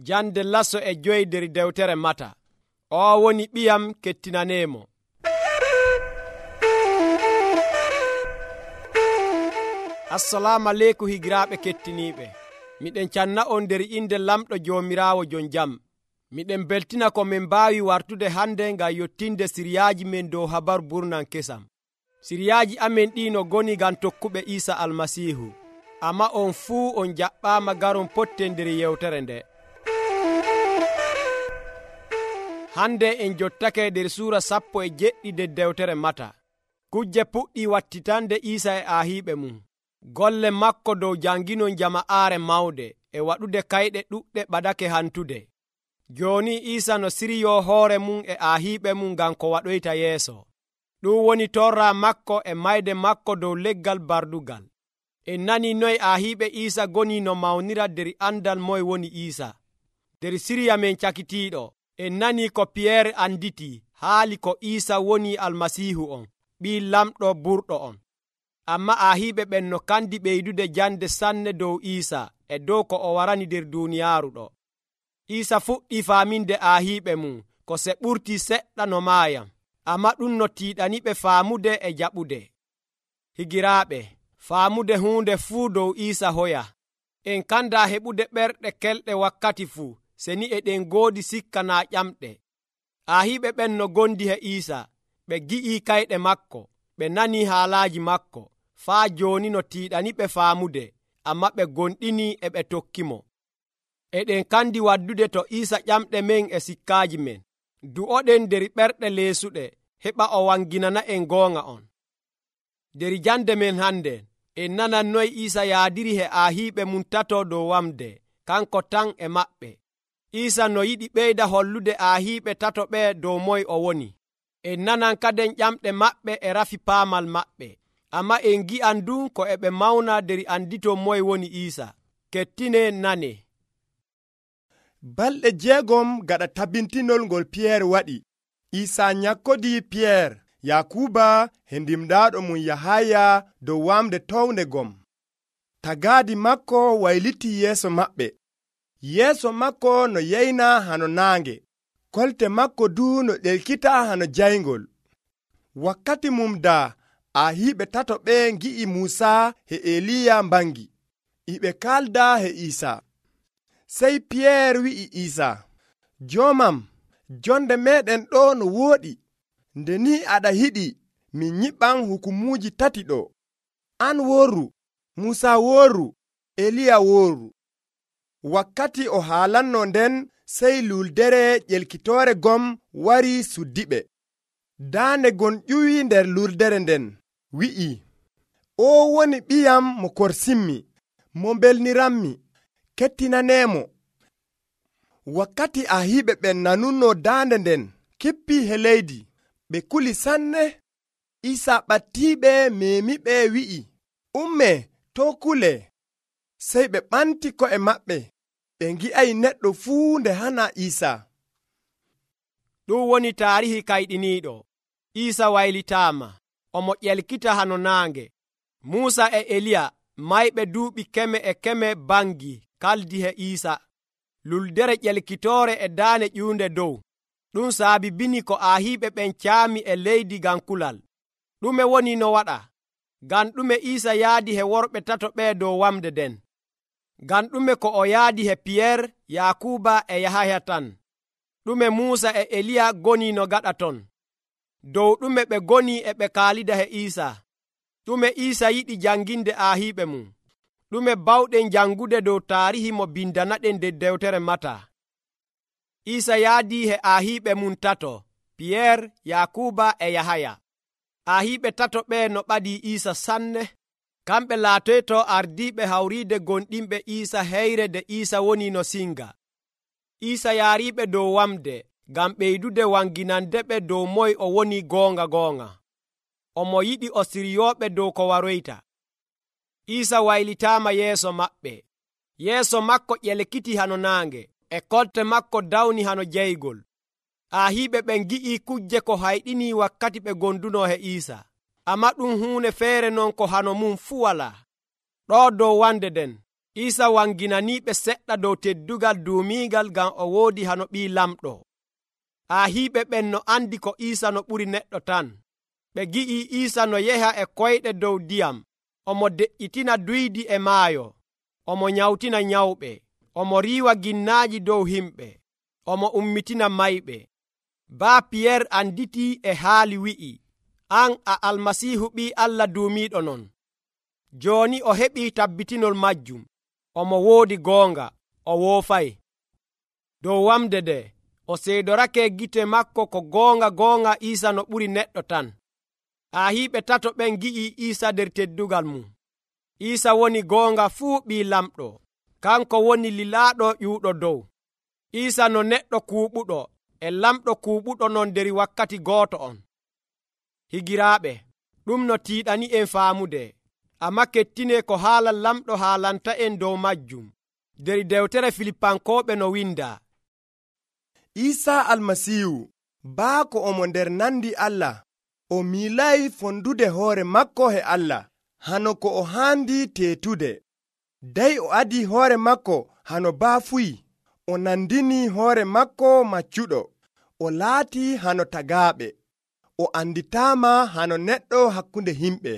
Jande lasso e 5 nder dewtere Mata. O woni ɓiyam kettinaneemo. Assalamu aleykum higiraaɓe kettiniiɓe. Miɗen canna on nder inde lamɗo Joomiraawo jon jam. Miɗen beltina ko min mbaawi wartude hande ngam yottinde siriyaaji men dow habaru burnan kesam. Siriyaaji amen ɗi no goni ngam tokkuɓe Iisa Almasiihu. Amma on fuu on jaɓɓaama garon potten nder yewtere nde. Hande en jottake nder suura 17 nder dewtere Mata. Kujje puɗɗi wattitande Iisa e aahiiɓe mum. Golle makko dow janginon jama'aare mawde e waɗude kayɗe ɗuɗɗe ɓadake hantude. Jooni Iisa no siriyoo hoore mum e aahiiɓe mum ngam ko waɗoyta yeeso. Ɗum woni torra makko e mayde makko dow leggal bardugal. En nani noy aahiiɓe Iisa goni no mawnira nder andal moye woni Iisa. Nder siriya men cakitiiɗo, en nani ko Piyeer anditi haali ko Iisa woni Almasiihu on, ɓii lamɗo burɗo on. Amma aahiiɓe ɓen no kandi ɓeydude jande sanne dow Iisa e dow ko o warani nder duuniyaaru ɗo. Iisa fuɗɗi faaminde aahiiɓe mum ko se ɓurti seɗɗa no maayam, amma ɗum no tiiɗaniɓe faamude e jaɓude. Higiraaɓe, faamude huunde fuu dow Iisa hoya. En kanda heɓude ɓerɗe kelɗe wakkati fuu, seni eɗen goodi sikka naa ƴamɗe. Aahiiɓe ɓen no gondi he Iisa, ɓe gi'ii kayɗe makko, ɓe nanii haalaaji makko, faa jooni no tiiɗaniɓe faamude, amma ɓe gonɗini e ɓe tokkimo. Eɗen kandi waddude to Iisa ƴamɗe men e sikkaaji men. Du'oɗen nder ɓerɗe leesuɗe, heɓa o wanginana en goonga on. Nder jande men hande, en nanan noy Iisa yaadiri he aahiiɓe mum tato dow wamde, kanko tan e maɓɓe. Iisa no yiɗi ɓeyda hollude aahiiɓe tato ɓe dow moy o woni. En nanan kaden ƴamɗe maɓɓe e rafi paamal maɓɓe, amma en gi'an dun ko e ɓe mawna nder anditon moy woni Iisa. Kettine nane. Balɗe 6 gaɗa tabintinol ngol Piyeer waɗi, Iisa nyakkodii Piyeer, Yakuba he ndimɗaaɗo mum Yahaya dow wamde townde gom. Tagaadi makko waylitii yeeso maɓɓe. Yeeso makko no yeyna hano naange, kolte makko duu no ɗelkita hano jayngol. Wakkati mum daa, aahiiɓe tato ɓe ngi'i Muusa he Eliya mbangi, iɓe kaalda he Iisa. Sey Piyeer wi'i Iisa, Joomam, jonde meɗen ɗo no wooɗi. Nde ni aɗa hiɗi min nyiɓan hukumuuji 3 ɗo. An worru, Muusa worru, Eliya worru. Wakkati o haalanno nden, sey luldere ƴelkitoore gom wari suddiɓe. Daande gon ƴuwi nder luldere nden, wi'i, O woni ɓiyam mo korsimmi, mo belniranmi, kettinaneemo. Wakkati aahiiɓe ɓen nanunno daande nden, kippii he leydi, ɓe kuli sanne. Iisa ɓattiiɓe meemiɓe wi'i, Umme, to kule. Sey ɓe ɓanti ko'e maɓɓe, ɓe ngi'ay neɗɗo fuu nde hana Iisa. Ɗum woni taarihi kayɗiniiɗo. Iisa waylitaama, omo ƴelkita hano naange. Muusa e Eliya mayɓe duuɓi 100 bangi kaldi he Iisa. Luldere ƴelkitoore e daane ƴuunde dow. Ɗum saabibini ko aahiiɓe ɓen caami e leydi ngam kulal. Ɗume woni no waɗa? Ngam ɗume Iisa yaadi he worɓe tato ɓe dow wamde nden? Ngam ɗume ko o yaadi he Piyeer, Yakuba e Yahaya tan? Ɗume Muusa e Eliya goni no gaɗa ton? Dow ɗume ɓe goni e ɓe kaalida he Iisa? Ɗume Iisa yiɗi janginde aahiiɓe mum? Ɗume bawɗen jangude dow taarihi mo bindanaɗen nder dewtere Mata? Iisa yaadi he aahiiɓe mum tato, Piyeer, Yakuba e Yahaya. Aahiiɓe tato ɓe no ɓadii Iisa sanne. Kamɓe laatoyto ardiiɓe hawriide gonɗinɓe Iisa heyre nde Iisa woni no singa. Iisa yaariiɓe dow wamde ngam ɓeydude wanginandeɓe dow moy o woni goonga. Omo yiɗi o siriyooɓe dow ko waroyta. Iisa waylitaama yeeso maɓɓe. Yeeso makko ƴelkiti hano naange, e kolte makko dawni hano jaygol. Aahiiɓe ɓen gi'ii kujje ko hayɗini wakkati ɓe gonduno he Iisa. Amma ɗum huunde feere non ko hano mum fuu walaa. Ɗo dow wande nden, Iisa wanginaniiɓe seɗɗa dow teddugal duumiigal ngam o woodi hano ɓii lamɗo. Aahiiɓe ɓen no andi ko Iisa no ɓuri neɗɗo tan. Ɓe gi'i Iisa no yeha e koyɗe dow ndiyam, omo de'yitina duydi e maayo, omo nyawtina nyawɓe, omo riiwa ginnaaji dow himɓe, omo ummitina mayɓe. Baa Piyeer anditii e haali wi'i, "An a Almasiihu ɓii Allah duumiiɗo non." Jooni o heɓii tabbitinol majjum. Omo woodi goonga, o woofay. Dow wamde nde, o seedorake gite makko ko goonga Iisa no ɓuri neɗɗo tan. Aahiiɓe tato ɓen gi'i Iisa nder teddugal mum. Iisa woni goonga fuu ɓii lamɗo. Kanko woni lilaaɗo ƴuuɗo dow. Iisa no neɗɗo kuuɓuɗo e lamɗo kuuɓuɗo non nder wakkati gooto on. Higiraaɓe, ɗum no tiiɗani en faamude, amma kettinee ko haala lamɗo haalanta en dow majjum nder dewtere Filipankooɓe no windaa. Iisa Almasiihu, baako omo nder nandi Allah, o miilay fondude hoore makko e Allah, hano ko o haandi teetude. Dey o adi hoore makko hano baafuyi, o nandini hoore makko maccuɗo, o laati hano tagaaɓe, o anditaama hano neɗɗo hakkunde himɓe.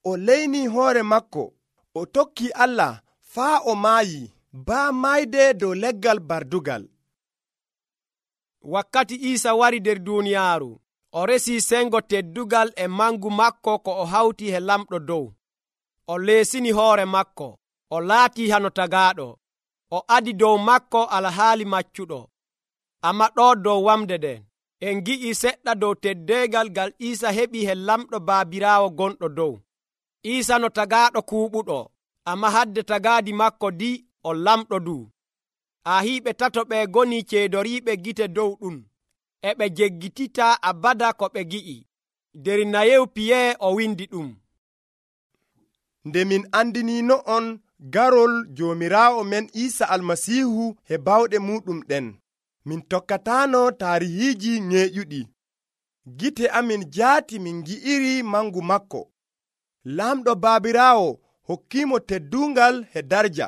O leyni hoore makko, o tokki Allah faa o maayi, baa mayde dow leggal bardugal. Wakkati Iisa wari nder duuniyaaru, o resii sengo teddugal e mangu makko ko o hawti e lamɗo dow. O leesini hoore makko, o laatii hano tagaaɗo, o adi dow makko alhaali maccuɗo. Amma ɗo dow wamde nden, en gi'i seɗɗa dow teddeegal ngal Iisa heɓi e lamɗo Baabiraawo gonɗo dow. Iisa no tagaaɗo kuuɓuɗo, amma hadde tagaadi makko di o lamɗo du. Aahiiɓe tato ɓe goni ceedoriiɓe gite dow ɗum, e ɓe jeggitita abada ko ɓe gi'i. Nder nayew Piyee o windi ɗum. Nde min andiniino on garol Joomiraawo men Iisa Almasiihu e bawɗe muɗum ɗen, min tokkataano taarihiiji ñeeƴuɗi. Gite amin jaati min ngi'iri mangu makko. Laamɗo Baabiraawo hokkiimo teddungal e darja.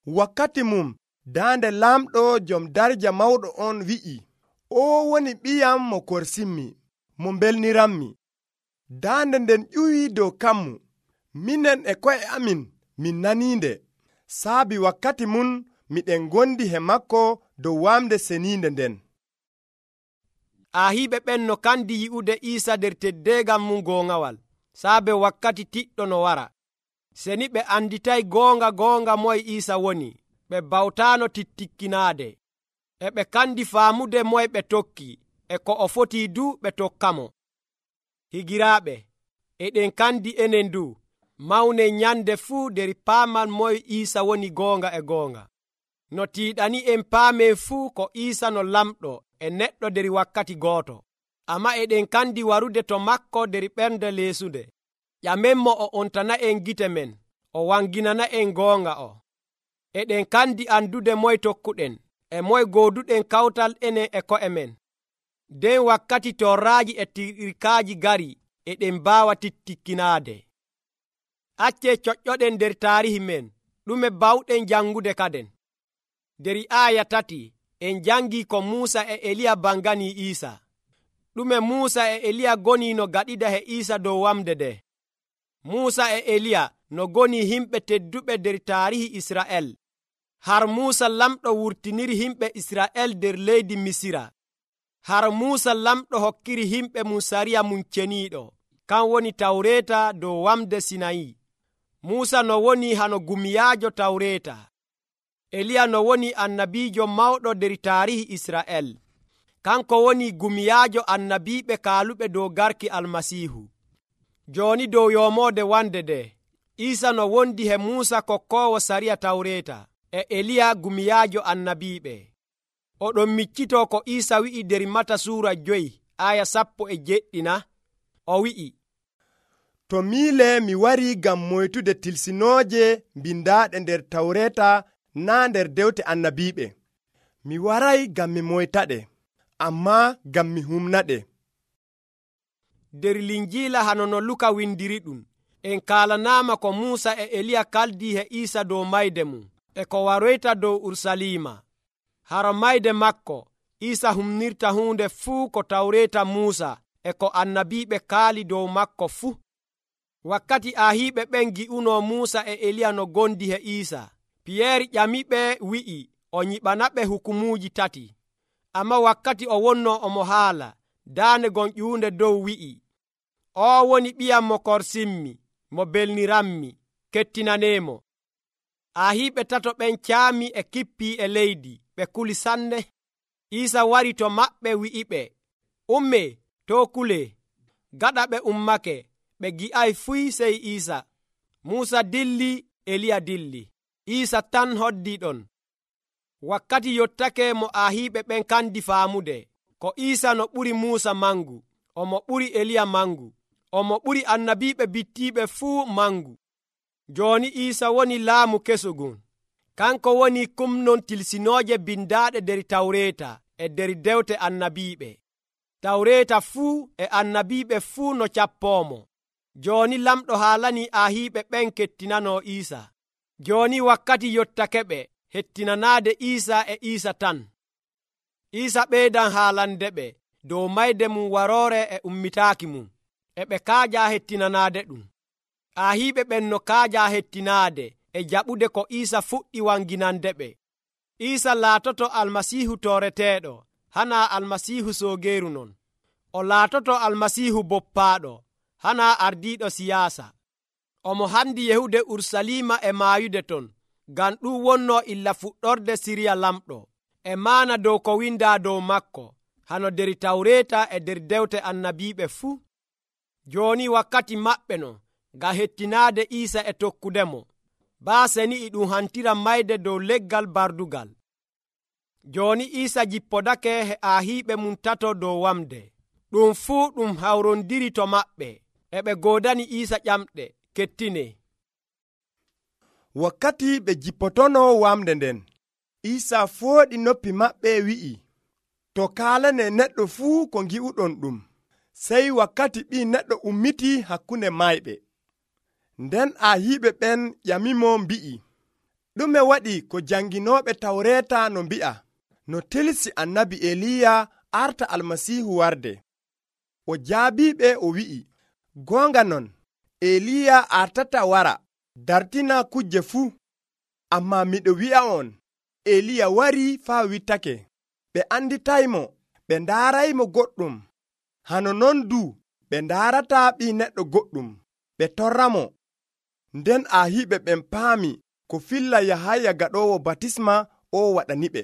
Wakkati mum daande laamɗo jom darja mawɗo on wi'i, "O woni ɓiyam mo korsinmi, mo belniranmi." Daande nden ƴuwii dow kammu. Minen e ko'e amin min naniinde. Saabi wakkati mun miɗen gondi he makko dow wamde seniinde nden. Aahiiɓe ɓen no kandi yi'ude Iisa nder teddeegal mum goongawal, saabe wakkati tiɗɗo no wara. Seni ɓe anditay goonga moye Iisa woni, ɓe bawtaano tittikkinaade. E ɓe kandi faamude moye ɓe tokki, e ko o fotii du ɓe tokkamo. Higiraaɓe, eɗen kandi enen du, mawne nyande fuu nder paamal moye Iisa woni goonga e goonga. No tiiɗani en paamen fuu ko Iisa no lamɗo e neɗɗo nder wakkati gooto. Amma eɗen kandi warude to makko nder ɓernde leesude. Ƴamenmo o ontana en gite men, o wanginana en goonga o. Eɗen kandi andude moye tokkuɗen, e moye gooduɗen kawtal enen e ko'e men. Nden wakkati torraaji e tirkaaji gari, eɗen mbaawa tittikkinaade. Accee coƴƴoɗen nder taarihi men, ɗume bawɗen jangude kaden. Nder aaya 3 en jangi ko Muusa e Eliya banganii Iisa. Ɗume Muusa e Eliya goni no gaɗida he Iisa dow wamde nde. Muusa e Eliya no goni himɓe tedduɓe nder taarihi Isra'el. Har Muusa lamɗo wurtiniri himɓe Isra'el nder leydi Misira. Har Muusa lamɗo hokkiri himɓe mum sariya mum ceniiɗo, kan woni Tawreeta dow wamde Sinayi. Muusa no woni hano gumiyaajo Tawreeta. Eliya no woni annabiijo mawɗo nder taarihi Isra'el. Kanko woni gumiyaajo annabiiɓe kaaluɓe dow garki Almasiihu. Jooni dow yomoode wande nde, Iisa no wondi he Muusa kokkoowo sariya Tawreeta e Eliya gumiyaajo annabiiɓe. Oɗon miccitoo ko Iisa wi'i nder Mata suura 5 aya 17 o wi'i, "To miile mi wari ngam moytude tilsinooje mbindaaɗe nder Tawreeta naa nder dewte annabiiɓe. Mi waray ngam mi moytaɗe, ammaa ngam mi humnaɗe." Nder Linjiila hano no Luka windiri ɗum, en kaalanaama ko Muusa e Eliya kaldi he Iisa dow mayde mum e ko waroyta dow Urusalima. Hara mayde makko Iisa humnirta huunde fuu ko Tawreeta Muusa e ko annabiiɓe kaali dow makko fuu. Wakkati ahiiɓe ɓen gi'unoo Muusa e Eliya no gondi he Iisa, Piyeeri ƴamiɓe wi'i o nyiɓanaɓe hukumuuji 3. Amma wakkati o wonnoo omo haala, daande gon ƴuunde dow wi'i, "Oo woni ɓiyam mo korsimmi, mo belniranmi, kettinaneemo." Ahiiɓe 3 ɓen caami e kippii e leydi, ɓe kuli sanne. Iisa wari to maɓɓe wi'iɓe, "Ummee, too kulee." Gaɗa ɓe ummake, ɓe gi'ay fuy sey Iisa. Muusa dilli, Eliya dilli, Iisa tan hoddii ɗon. Wakkati yottake mo ahiiɓe ɓen kandi faamude ko Iisa no ɓuri Muusa mangu, omo ɓuri Eliya mangu, omo ɓuri annabiiɓe bittiiɓe fuu mangu. Jooni Iisa woni laamu kesugun. Kanko woni kumnon tilsinooje bindaaɗe der Tawreeta e der dewte annabiiɓe. Tawreeta fuu e annabiiɓe fuu no cappoomo. Jooni lamɗo haalanii ahiiɓe ɓen kettinanoo Iisa. Jooni wakkati yottakeɓe hettinanaade Iisa e Iisa tan. Iisa ɓeydan haalandeɓe dow mayde mum waroore e ummitaaki mum, e ɓe kaajaa hettinanaade ɗum. Ahiiɓe ɓen no kaajaa hettinaade e jaɓude ko Iisa fuɗɗi wanginandeɓe. Iisa laatoto Almasiihu tooreteeɗo, hanaa Almasiihu soogeeru non. O laatoto Almasiihu boppaaɗo, hanaa ardiiɗo siyaasa. Omo handi yehude Urusalima e maayude ton, ngam ɗum wonnoo illa fuɗɗorde siriya lamɗo, e maana dow ko windaa dow makko, hano der Tawreeta e der dewte annabiiɓe fuu. Jooni wakkati maɓɓe no ngam hettinaade Iisa e tokkudemo. Baaseni e ɗum hantira mayde dow leggal bardugal. Jooni Iisa jippodake he ahiiɓe mum 3 dow wamde. Ɗum fuu ɗum hawrondiri to maɓɓe, e ɓe goodani Iisa ƴamɗe, "Kettine." Wakkati ɓe jippotonoo wamde nden, Iisa fooɗi noppi maɓɓe wi'i, "To kaalane neɗɗo fuu ko ngi'uɗon ɗum." Sey wakkati Ɓii Neɗɗo ummiti hakkunde mayɓe. Nden ahiiɓe ɓen ƴamimo mbi'i, "Ɗume waɗi ko janginooɓe Tawreeta no mbi'a, no tilsi annabi Eliya arta Almasiihu warde?" O jaabiɓe o wi'i, "Goonga non, Eliya artata wara dartina kuje fuu. Ammaa miɗo wi'a'on, Eliya warii faa wittake. Ɓe anditaymo, ɓe ndaaraymo goɗɗum. Hano non duu ɓe ndaarataa Ɓii Neɗɗo goɗɗum, ɓe torramo." Nden ahiiɓe ɓen paami ko filla Yahaya gaɗoowo batisma o waɗaniɓe.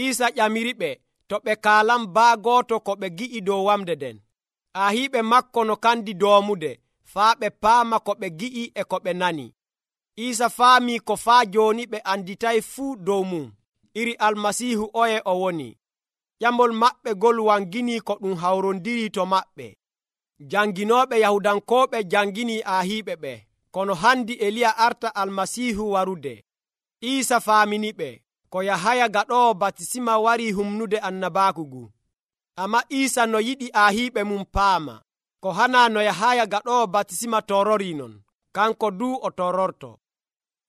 Iisa ƴamiriɓe to ɓe kaalan baa gooto ko ɓe gi'i dow wamde nden. Ahiiɓe makko no kandi doomude faa ɓe paama ko ɓe gi'i e ko ɓe nani. Iisa faamii ko faa jooni ɓe anditay fuu dow mum iri Almasiihu oye o woni. Ƴamol maɓɓe gol wanginii ko ɗum hawrondiri to maɓɓe. Janginooɓe Yahudankooɓe janginii ahiiɓe ɓe kono handi Eliya arta Almasiihu warude. Iisa faaminiɓe ko Yahaya gaɗoowo batisima warii humnude annabaaku ngu. Amma Iisa no yiɗi ahiiɓe mum paama ko hanaa no Yahaya gaɗoowo batisima tororii non, kanko duu o tororto.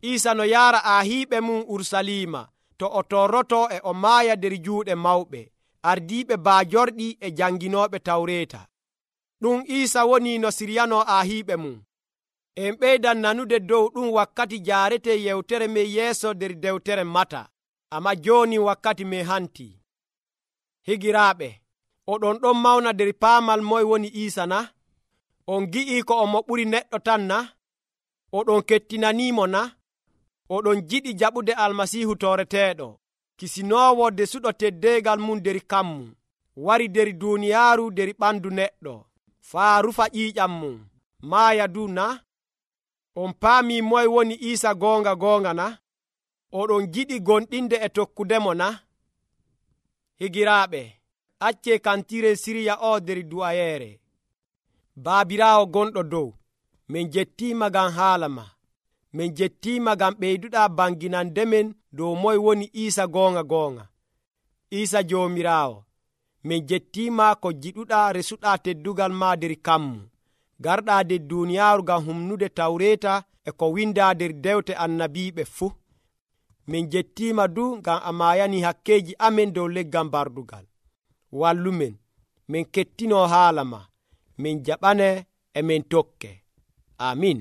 Iisa no yaara ahiiɓe mum Urusalima to o torroto e o maaya der juuɗe mawɓe, ardiiɓe baajorɗi e janginooɓe Tawreeta. Ɗum Iisa woni no siryanoo ahiiɓe mum. En ɓeydan nanude dow ɗum wakkati jaarete yewtere men yeeso der dewtere Mata. Amma jooni wakkati men hantii. Higiraaɓe, oɗon ɗon mawna der paamal moye woni Iisa na? On gi'ii ko omo ɓuri neɗɗo tan na? Oɗon kettinaniimo na? Oɗon jiɗi jaɓude Almasiihu tooreteeɗo, kisinoowo desuɗo teddeegal mum der kammu, wari der duuniyaaru der ɓandu neɗɗo, faa rufa ƴiiƴam mum, maaya du na? On paamii moye woni Iisa goonga goonga na? Oɗon jiɗi gonɗinde e tokkudemo na? Higiraaɓe, accee kantiren siriya o der du'ayeere. Baabiraawo gonɗo dow, min jettiima ngam haala ma. Min jettiima ngam ɓeyduɗaa banginandemen dow moye woni Iisa goonga goonga. Iisa Joomiraawo, min jettiima ko jiɗuɗaa resuɗaa teddugal ma der kammu, garɗaa nder duuniyaaru ngam humnude tawreeta e ko windaa nder dewte annabiiɓe fuu. Min jettiima du ngam a maayani hakkeeji amen dow leggal bardugal. Wallumen, min kettinoo haala ma, min jaɓane e min tokke. Amin.